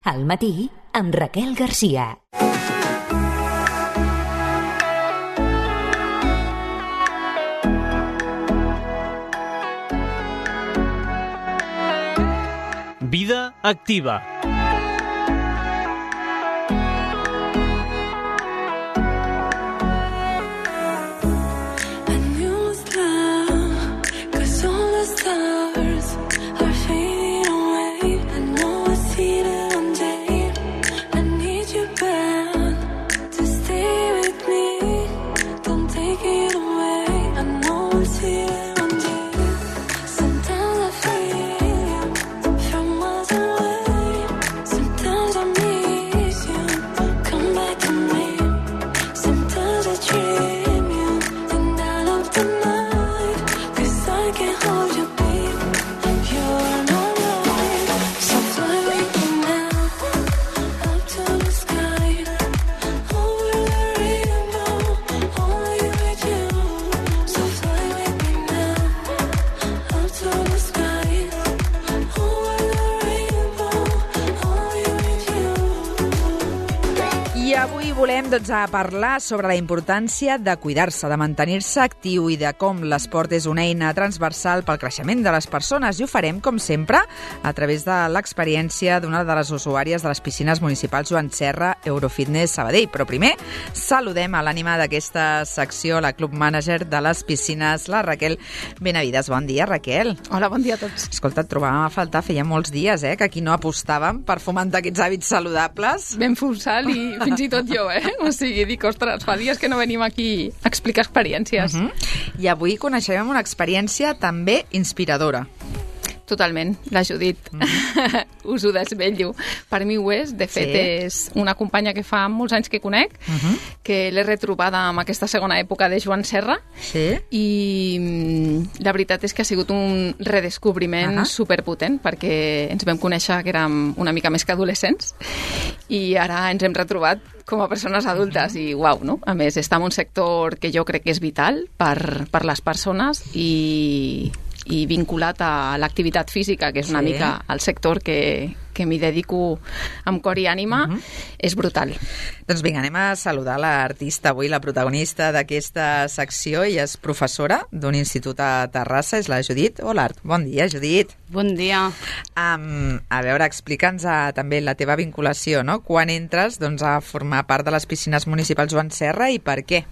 Al matí, amb Raquel Garcia. Vida activa. Volem parlar sobre la importància de cuidar-se, de mantenir-se actiu i de com l'esport és una eina transversal pel creixement de les persones. I ho farem, com sempre, a través de l'experiència d'una de les usuàries de les piscines municipals Joan Serra, Eurofitness Sabadell. Però primer, saludem a l'ànima d'aquesta secció, la club manager de les piscines, la Raquel Benavides. Bon dia, Raquel. Hola, bon dia a tots. Escolta, et trobàvem a faltar, feia molts dies, que aquí no apostàvem per fomentar aquests hàbits saludables. Ben forçat i fins i tot jo, O sigui, dic, ostres, fa dies que no venim aquí a explicar experiències. I avui coneixem una experiència també inspiradora. Totalment, la Judit. Us ho desvetllo. Per mi ho és. De fet, és una companya que fa molts anys que conec, que l'he retrobada en aquesta segona època de Joan Serra. I la veritat és que ha sigut un redescobriment superpotent, perquè ens vam conèixer que érem una mica més que adolescents i ara ens hem retrobat com a persones adultes i uau, no? A més, està en un sector que jo crec que és vital per les persones i vinculat a l'activitat física, que és una mica el sector que m'hi dedico amb cor i ànima, és brutal. Doncs vinga, anem a saludar l'artista avui, la protagonista d'aquesta secció. Ella és professora d'un institut a Terrassa, és la Judit Olart. Bon dia, Judit. Bon dia. A veure, explica'ns també la teva vinculació, no? Quan entres a formar part de les piscines municipals Joan Serra i per què?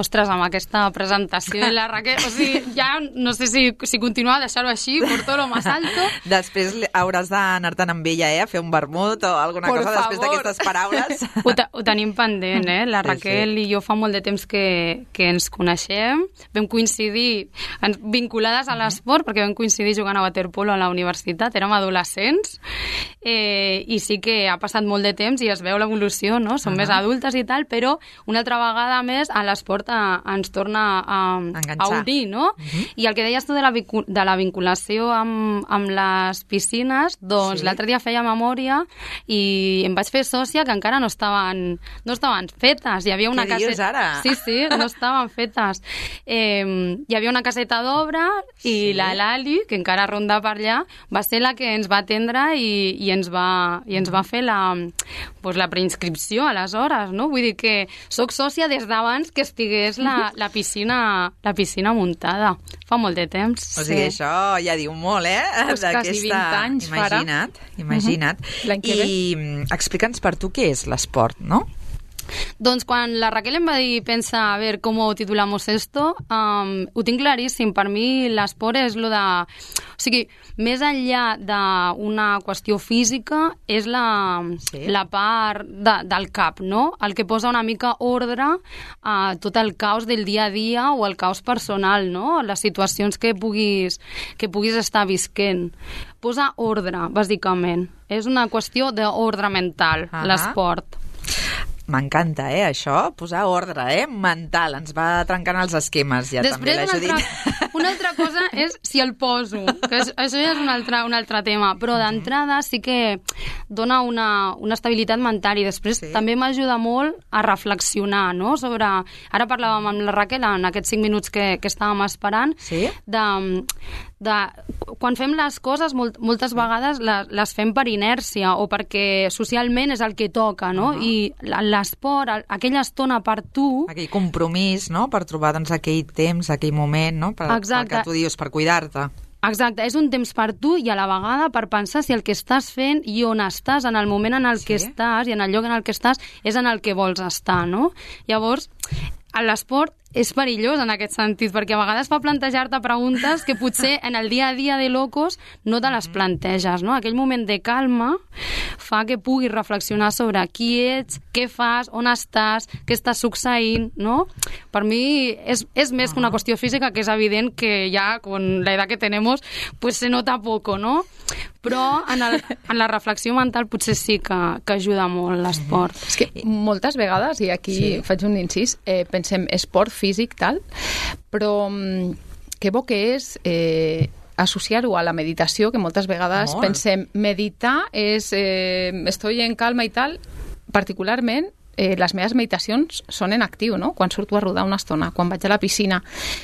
Ostres, amb aquesta presentació de la Raquel, o sigui, ja no sé si continuar a deixar-ho així, por todo lo más alto. Després hauràs d'anar-te'n amb ella, a fer un vermut o alguna cosa després d'aquestes paraules. Ho tenim pendent, La Raquel i jo fa molt de temps que ens coneixem. Vam coincidir vinculades a l'esport, perquè vam coincidir jugant a waterpolo a la universitat, érem adolescents, i sí que ha passat molt de temps i es veu l'evolució, no? Som més adultes i tal, però una altra vegada més a l'esport ens torna a unir, no? I el que deies tu de la vinculació amb les piscines, doncs l'altre dia feia memòria i em vaig fer sòcia que encara no estaven fetes. Hi havia una Què dius ara? Sí, no estaven fetes. Hi havia una caseta d'obra i la Lali, que encara ronda per allà, va ser la que ens va atendre i ens va fer la preinscripció aleshores, no? Vull dir que soc sòcia des d'abans que estigués la piscina muntada. Fa molt de temps. O sigui, això ja diu molt, Pues quasi 20 anys farà. Imagina't. I explica'ns per tu què és l'esport, no? Doncs quan la Raquel em va dir, pensa, a ver, ¿cómo titulamos esto? Ho tinc claríssim. Per mi l'esport és lo de... O sigui, més enllà d'una qüestió física, és la part del cap, no? El que posa una mica ordre a tot el caos del dia a dia o el caos personal, no? Les situacions que puguis estar visquent. Posa ordre, bàsicament. És una qüestió d'ordre mental, l'esport. M'encanta, això, posar ordre, mental. Ens va trencant els esquemes, ja. Després, també l'he dit. una altra cosa és si el poso, que això ja és un altre tema, però d'entrada sí que dona una estabilitat mental i després també m'ajuda molt a reflexionar, no? Sobre... Ara parlàvem amb la Raquel en aquests 5 minuts que estàvem esperant, quan fem les coses moltes vegades les fem per inèrcia o perquè socialment és el que toca, no? I l'esport, aquella estona per tu... Aquell compromís, no?, per trobar doncs, aquell temps, aquell moment, no?, pel que tu dius, per cuidar-te. Exacte, és un temps per tu i a la vegada per pensar si el que estàs fent i on estàs, en el moment en el que estàs i en el lloc en el que estàs, és en el que vols estar, no? Llavors, l'esport és perillós en aquest sentit, perquè a vegades fa plantejar-te preguntes que potser en el dia a dia de locos no te les planteges, no? Aquell moment de calma fa que puguis reflexionar sobre qui ets, què fas, on estàs, què està succeint, no? Per mi és més que una qüestió física, que és evident que ja, con la edad que tenemos, pues se nota poco, no? Però en la reflexió mental potser sí que ajuda molt l'esport. És que moltes vegades, i aquí faig un incís, pensem esport físic, tal, però que bo que és associar-ho a la meditació, que moltes vegades pensem meditar és estoy en calma i tal, particularment les meves meditacions són en actiu, no? Quan surto a rodar una estona, quan vaig a la piscina,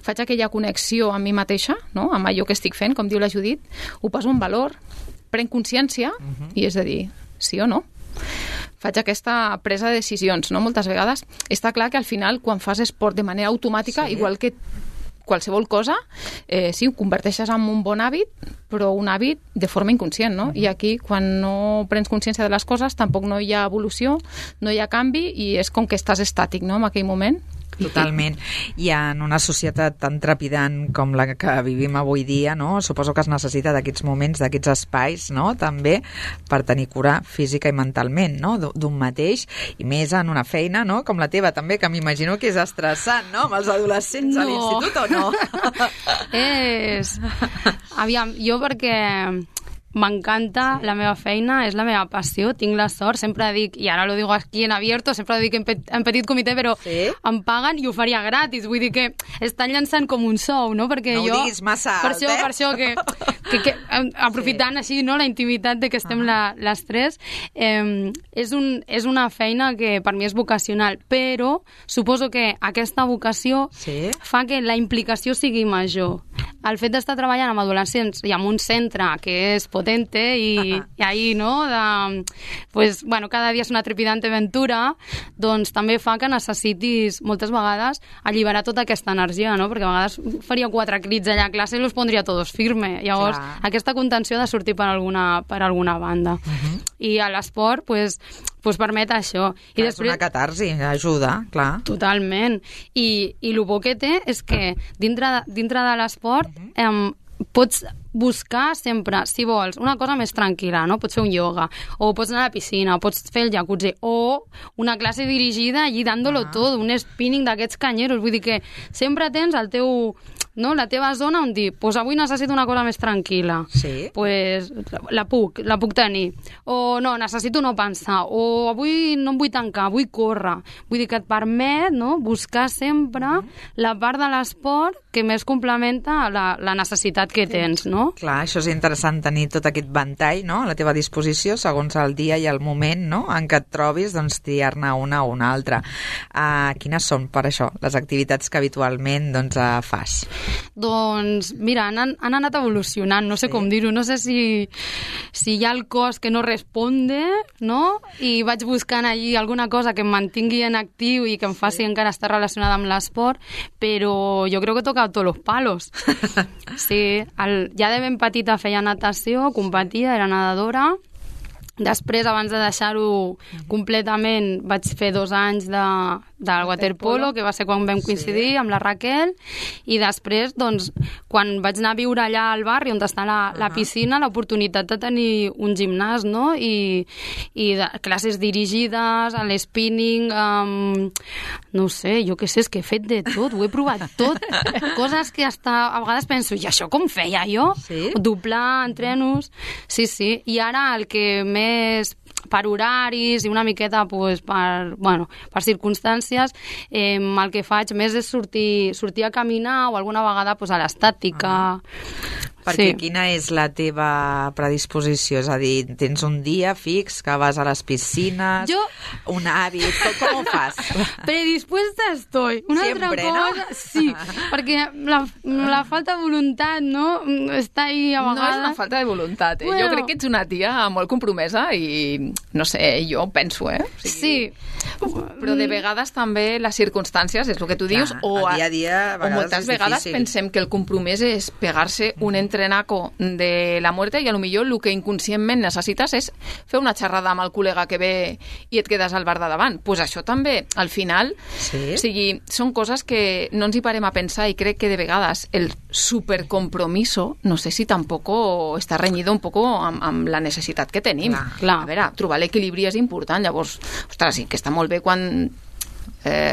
faig aquella connexió amb mi mateixa, no? Amb allò que estic fent, com diu la Judit, ho poso en valor, prenc consciència i és a dir, sí o no? Faig aquesta presa de decisions, no? Moltes vegades està clar que al final, quan fas esport de manera automàtica, igual que qualsevol cosa, sí, ho converteixes en un bon hàbit, però un hàbit de forma inconscient, no? I aquí, quan no prens consciència de les coses, tampoc no hi ha evolució, no hi ha canvi i és com que estàs estàtic, no?, en aquell moment. Totalment. I en una societat tan trepidant com la que vivim avui dia, no? Suposo que es necessita d'aquests moments, d'aquests espais, no?, també per tenir cura física i mentalment, no?, d'un mateix, i més en una feina, no?, com la teva també, que m'imagino que és estressant, no?, amb els adolescents a l'institut, o no? Aviam, jo perquè m'encanta la meva feina, és la meva passió, tinc la sort, sempre dic, i ara lo digo aquí en abierto, sempre dic en petit comitè, però em paguen i ho faria gratis, vull dir que estan llançant com un sou, no? Perquè no ho diguis massa alt, per això que aprofitant així, no, la intimitat de que estem les tres, és una feina que per mi és vocacional, però suposo que aquesta vocació fa que la implicació sigui major. El fet d'estar treballant amb adolescents i amb un centre que és potente i ahí, no, pues, bueno, cada dia és una trepidante aventura, doncs també fa que necessitis moltes vegades alliberar tota aquesta energia, no? Perquè a vegades faria 4 crits allà a classe i los pondria todos firme. Llavors, aquesta contenció ha de sortir per alguna banda. I a l'esport, pues permet això. I després, és una catarsi, ajuda, clar. Totalment. I el bo que té és que dintre de l'esport pots buscar sempre, si vols, una cosa més tranquil·la, no? Pots fer un ioga, o pots anar a la piscina, o pots fer el jacuzzi, o una classe dirigida allí dándolo tot, un spinning d'aquests canyeros. Vull dir que sempre tens el teu, no, la teva zona on dir, pues avui necessito una cosa més tranquil·la. Sí. Pues la puc tenir. O no, necessito no pensar. O avui no em vull tancar, vull córrer. Vull dir que et permet, no, buscar sempre la part de l'esport que més complementa la necessitat que tens, no? Clar, això és interessant, tenir tot aquest ventall, no?, a la teva disposició segons el dia i el moment, no?, en què et trobis, doncs triar-ne una o una altra. Quines són, per això, les activitats que habitualment fas? Doncs, mira, han anat evolucionant, no sé com dir-ho, no sé si hi ha el cos que no responde, no?, i vaig buscant allí alguna cosa que em mantingui en actiu i que em faci encara estar relacionada amb l'esport, però jo crec que he tocat tots los palos. Sí, ja de ben petita feia natació, competia, era nedadora. Després, abans de deixar-ho completament, vaig fer 2 anys del waterpolo, que va ser quan vam coincidir amb la Raquel, i després, doncs, quan vaig anar a viure allà al barri on està la piscina, l'oportunitat de tenir un gimnàs, no?, i classes dirigides, a l'spinning, no sé, jo què sé, és que he fet de tot, ho he provat tot, coses que a vegades penso, i això com feia jo? Doblar, entrenos, sí, i ara el que més per horaris i una miqueta pues, per circumstàncies, el que faig més és sortir a caminar o alguna vegada pues, a l'estàtica. Perquè quina és la teva predisposició? És a dir, tens un dia fix que vas a les piscines, un hàbit, com ho fas? Predispuesta estoy. Una Siempre, altra cosa, ¿no? sí, perquè la falta de voluntat, no?, està ahí a vegades. No és una falta de voluntat, Bueno. Jo crec que ets una tia molt compromesa i, no sé, jo penso, O sigui, Sí. Però de vegades també les circumstàncies, és el que tu dius, el dia a dia a o vegades moltes és vegades difícil. pensem que el compromís és pegar-se un entrenaco de la muerte i a lo millor el que inconscientment necessites és fer una xerrada amb el col·lega que ve i et quedes al bar de davant. Pues això també, al final, Sí? o sigui, són coses que no ens hi parem a pensar i crec que de vegades el supercompromiso, no sé si tampoc està renyido un poco amb la necessitat que tenim. Clar. A veure, trobar l'equilibri és important, llavors, ostres, sí que està molt bé quan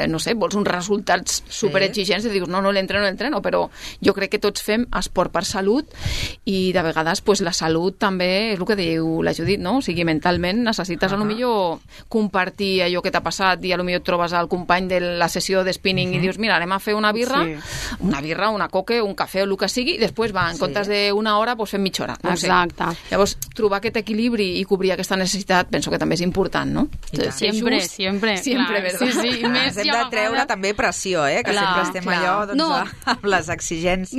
no sé, vols uns resultats superexigents i dius, no l'entreno, però jo crec que tots fem esport per salut i de vegades pues, la salut també és el que diu la Judit, no? O sigui, mentalment necessites a lo millor compartir allò que t'ha passat i a lo millor et trobes al company de la sessió de spinning i dius, mira, anem a fer una birra, una coque, un cafè o el que sigui i després en comptes d'una hora pues, fem mitja hora. No Exacte. Sé. Llavors, trobar aquest equilibri i cobrir aquesta necessitat penso que també és important, no? Sempre, Sempre, clar. ¿verdad? Sí, Ens hem de treure també pressió, que Clar, sempre estem clar. allò doncs, No. amb les exigències.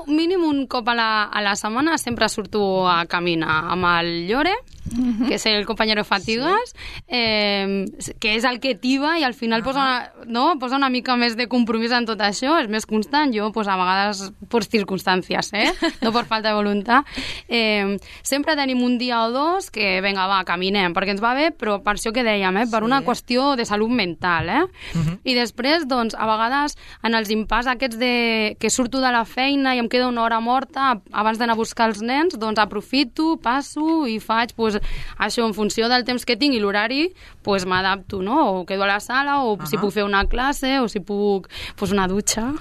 Mínim un cop a la setmana sempre surto a caminar amb el Llore, que és el compañero Fatigas, que és el que tiba i al final posa una mica més de compromís en tot això, és més constant, jo a vegades per circumstàncies, no per falta de voluntat. Sempre tenim un dia o dos que, vinga, va, caminem, perquè ens va bé, però per això que dèiem, per una qüestió de salut mental, I després, doncs, a vegades, en els impàs aquests que surto de la feina i em queda una hora morta abans d'anar a buscar els nens, doncs aprofito, passo i faig, això en funció del temps que tinc i l'horari, m'adapto, no? O quedo a la sala, o si puc fer una classe, o si puc, una dutxa.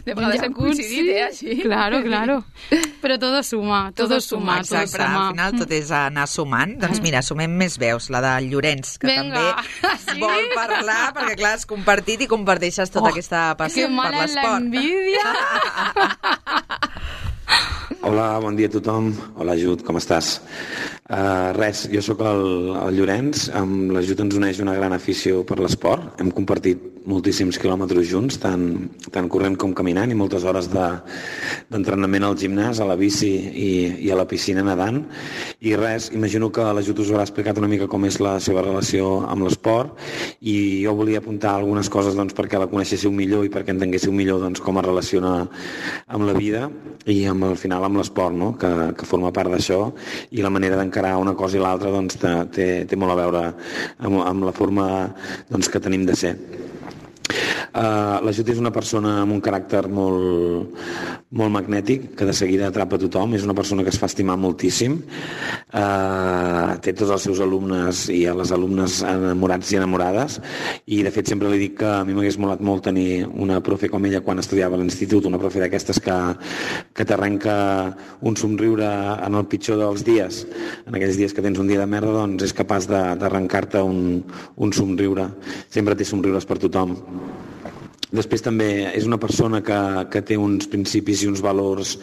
De vegades hem coincidit, així. Claro. Però todo suma. Exacte, al final tot és anar sumant. Doncs mira, sumem més veus, la del Llorenç, que també vol parlar, perquè clar, has compartit i comparteixes tota aquesta passió per l'esport. Que mala l'envidia! Hola, bon dia a tothom. Hola, Jud, com estàs? Res, jo sóc el Llorenç, amb l'Ajut ens uneix una gran afició per l'esport. Hem compartit moltíssims quilòmetres junts, tant corrent com caminant, i moltes hores d'entrenament al gimnàs, a la bici i a la piscina nedant. I res, imagino que l'Ajut us haurà explicat una mica com és la seva relació amb l'esport, i jo volia apuntar algunes coses perquè la coneixéssiu millor i perquè entenguéssiu millor com es relaciona amb la vida i al final amb l'esport, no? que forma part d'això, i la manera d'encarar una cosa i l'altra té molt a veure amb la forma que tenim de ser. La Jut és una persona amb un caràcter molt magnètic, que de seguida atrapa tothom, és una persona que es fa estimar moltíssim, té tots els seus alumnes i a les alumnes enamorats i enamorades, i de fet sempre li dic que a mi m'hagués molat molt tenir una profe com ella quan estudiava a l'institut, una profe d'aquestes que t'arrenca un somriure en el pitjor dels dies, en aquells dies que tens un dia de merda, doncs és capaç d'arrencar-te un somriure, sempre té somriures per tothom. Després també és una persona que té uns principis i uns valors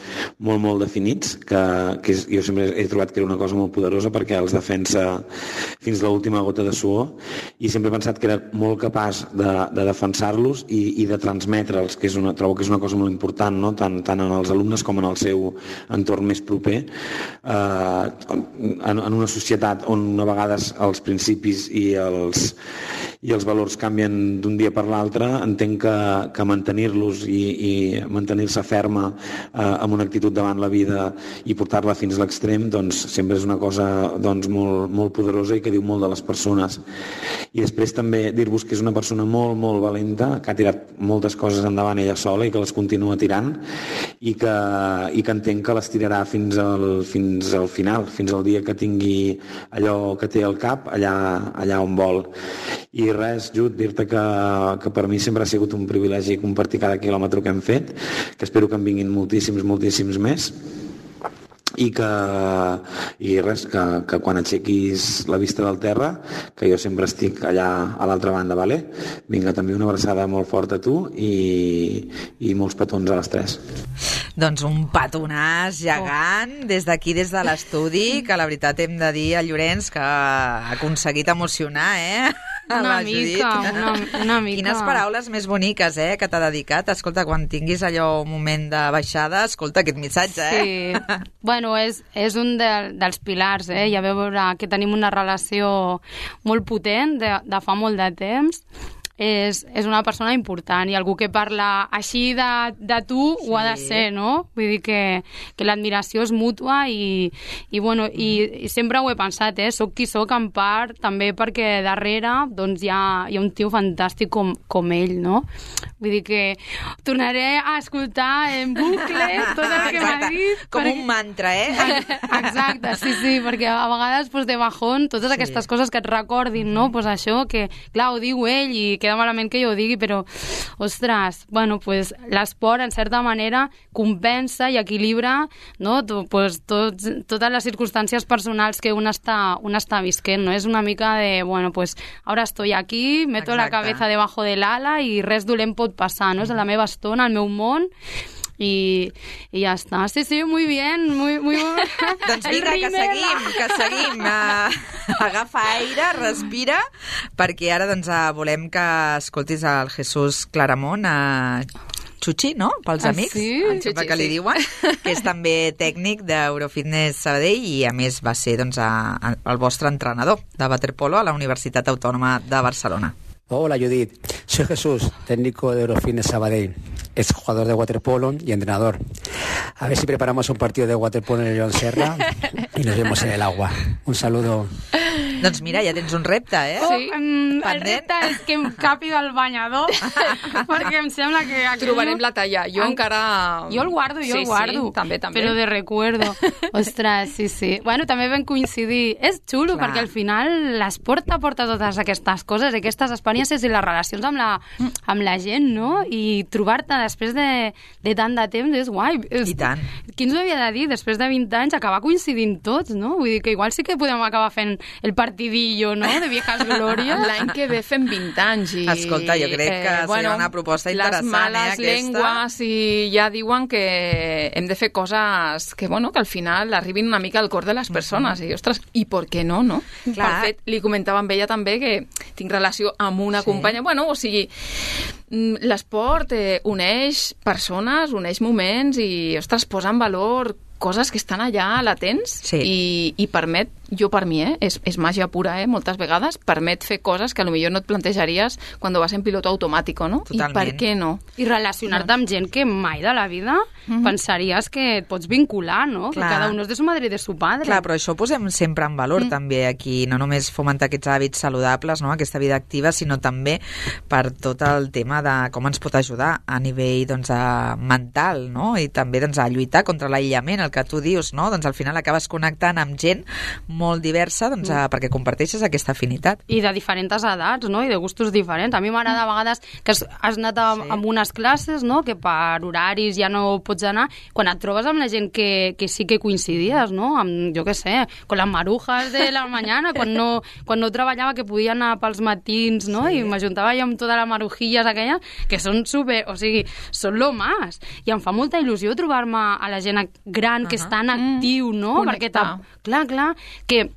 molt definits, que jo sempre he trobat que era una cosa molt poderosa perquè els defensa fins a l'última gota de suor, i sempre he pensat que era molt capaç de defensar-los i de transmetre'ls, que trobo que és una cosa molt important, no? tant en els alumnes com en el seu entorn més proper. En una societat on a vegades els principis i els valors canvien d'un dia per l'altre, entenc que mantenir-los i mantenir-se ferma amb una actitud davant la vida i portar-la fins a l'extrem, doncs sempre és una cosa molt poderosa i que diu molt de les persones. I després també dir-vos que és una persona molt valenta, que ha tirat moltes coses endavant ella sola i que les continua tirant, i que entenc que les tirarà fins al final, fins al dia que tingui allò que té al cap allà on vol. I res, Jut, dir-te que per mi sempre ha sigut un privilegi compartir cada quilòmetre que hem fet, que espero que en vinguin moltíssims més, i res, que quan aixequis la vista del terra, que jo sempre estic allà a l'altra banda, vale? Vinga, també una abraçada molt forta a tu i molts petons a les tres. Doncs un petonàs gegant des d'aquí, des de l'estudi, que la veritat hem de dir a Llorenç que ha aconseguit emocionar, Una mica. Quines paraules més boniques, que t'ha dedicat. Escolta, quan tinguis allò un moment de baixada, escolta aquest missatge, Sí. Bueno, és un dels pilars, Ja veu veure que tenim una relació molt potent de fa molt de temps. És una persona important i algú que parla així de tu ho ha de ser, no? Vull dir que l'admiració és mútua i sempre ho he pensat, soc qui soc en part també perquè darrere doncs hi ha un tio fantàstic com ell, no? Vull dir que tornaré a escoltar en bucle tot el que m'ha dit. Com un mantra, Exacte, sí, perquè a vegades de bajón totes aquestes coses que et recordin, no? Pues això que, clar, ho diu ell i queda malament que jo ho digui, però, ostres, l'esport, en certa manera, compensa i equilibra, no? Totes les circumstàncies personals que un està visquent, no? És una mica de, ahora estoy aquí, meto la cabeza debajo del ala i res dolent pot passar, no? És la meva estona, el meu món, i ja està. Sí, muy bien, muy bien. Doncs vinga, que seguim. Agafa aire, respira, perquè ara volem que escoltis el Jesús Claramont, Xuxi, no? Pels amics, em sembla que li diuen, que és també tècnic d'Eurofitness Sabadell i a més va ser el vostre entrenador de waterpolo a la Universitat Autònoma de Barcelona. Hola Judith, soy Jesús, técnico de Eurofitness Sabadell, ex jugador de waterpolo y entrenador. A ver si preparamos un partido de waterpolo en el Joan Serra y nos vemos en el agua. Un saludo. Doncs mira, ja tens un repte, Sí, el repte és que em capi del banyador, perquè em sembla que... Trobarem la talla. Jo encara... Jo el guardo. Sí, també. Però de recuerdo. Ostres, sí. Bueno, també vam coincidir. És xulo, perquè al final l'esport t'aporta totes aquestes coses, aquestes experiències i les relacions amb la gent, no? I trobar-te després de tant de temps és guai. I tant. Qui ens ho havia de dir, després de 20 anys, acabar coincidint tots, no? Vull dir que igual sí que podem acabar fent el partidillo, no?, de viejas glòries. L'any que ve fem 20 anys. Escolta, jo crec que seria una proposta interessant, les males llengües i ja diuen que hem de fer coses que al final arribin una mica al cor de les persones. I, ostres, i per què no, no? Clar. Per fet, li comentava amb ella també que tinc relació amb una companya. O sigui, l'esport uneix persones, uneix moments i, ostres, posa en valor coses que estan allà latents i permet, jo per mi, és màgia pura, moltes vegades, permet fer coses que potser no et plantejaries quan vas en piloto automàtic, no? Totalment. I per què no? I relacionar-te amb gent que mai de la vida pensaries que et pots vincular, no? Clar. Que cada un és de su madre i de su padre. Clar, però això ho posem sempre en valor també aquí, no només fomentar aquests hàbits saludables, no?, aquesta vida activa, sinó també per tot el tema de com ens pot ajudar a nivell mental, no?, i també a lluitar contra l'aïllament, el que tu dius, no? Doncs al final acabes connectant amb gent molt diversa perquè comparteixes aquesta afinitat. I de diferents edats, no?, i de gustos diferents. A mi m'agrada a vegades que has anat a unes classes, no?, que per horaris ja no pots anar, quan et trobes amb la gent que sí que coincidies, no?, amb, jo què sé, con las marujas de la mañana, quan no treballava, que podia anar pels matins, no?, i m'ajuntava jo amb tota la marujilles aquella, que són super, o sigui, són lo más. I em fa molta il·lusió trobar-me a la gent gran que està en actiu, no? Connectar. Perquè clar, que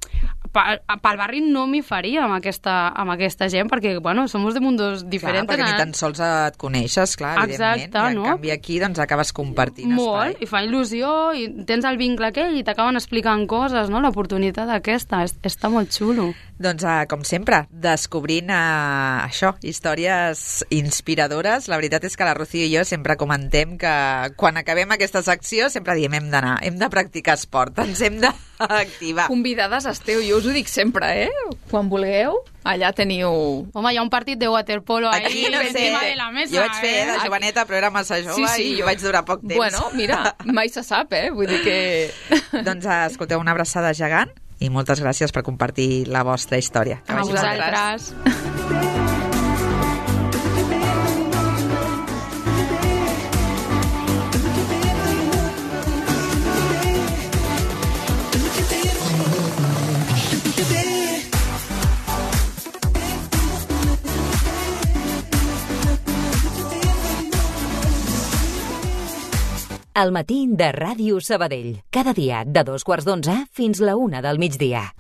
pel barri no m'hi faria amb aquesta gent, perquè, som de mundos diferents. Clar, perquè ni tan sols et coneixes, clar, evidentment. Exacte, i en canvi aquí, acabes compartint espai. Molt, i fa il·lusió, i tens el vincle aquell, i t'acaben explicant coses, no? L'oportunitat aquesta, està molt xulo. Doncs, com sempre, descobrint això, històries inspiradores. La veritat és que la Rocío i jo sempre comentem que quan acabem aquesta secció sempre diem hem de practicar esport, ens hem d'activar. Convidades esteu, jo us ho dic sempre, quan vulgueu, allà teniu... Home, hi ha un partit de waterpolo aquí, no sé, de la mesa. Jo vaig fer de joveneta, però era massa jove i vaig durar poc temps. Bueno, mira, mai se sap, vull dir que... Doncs escolteu, una abraçada gegant i moltes gràcies per compartir la vostra història. A vosaltres. al matí de Ràdio Sabadell. Cada dia de 2:15 fins la 1 del migdia.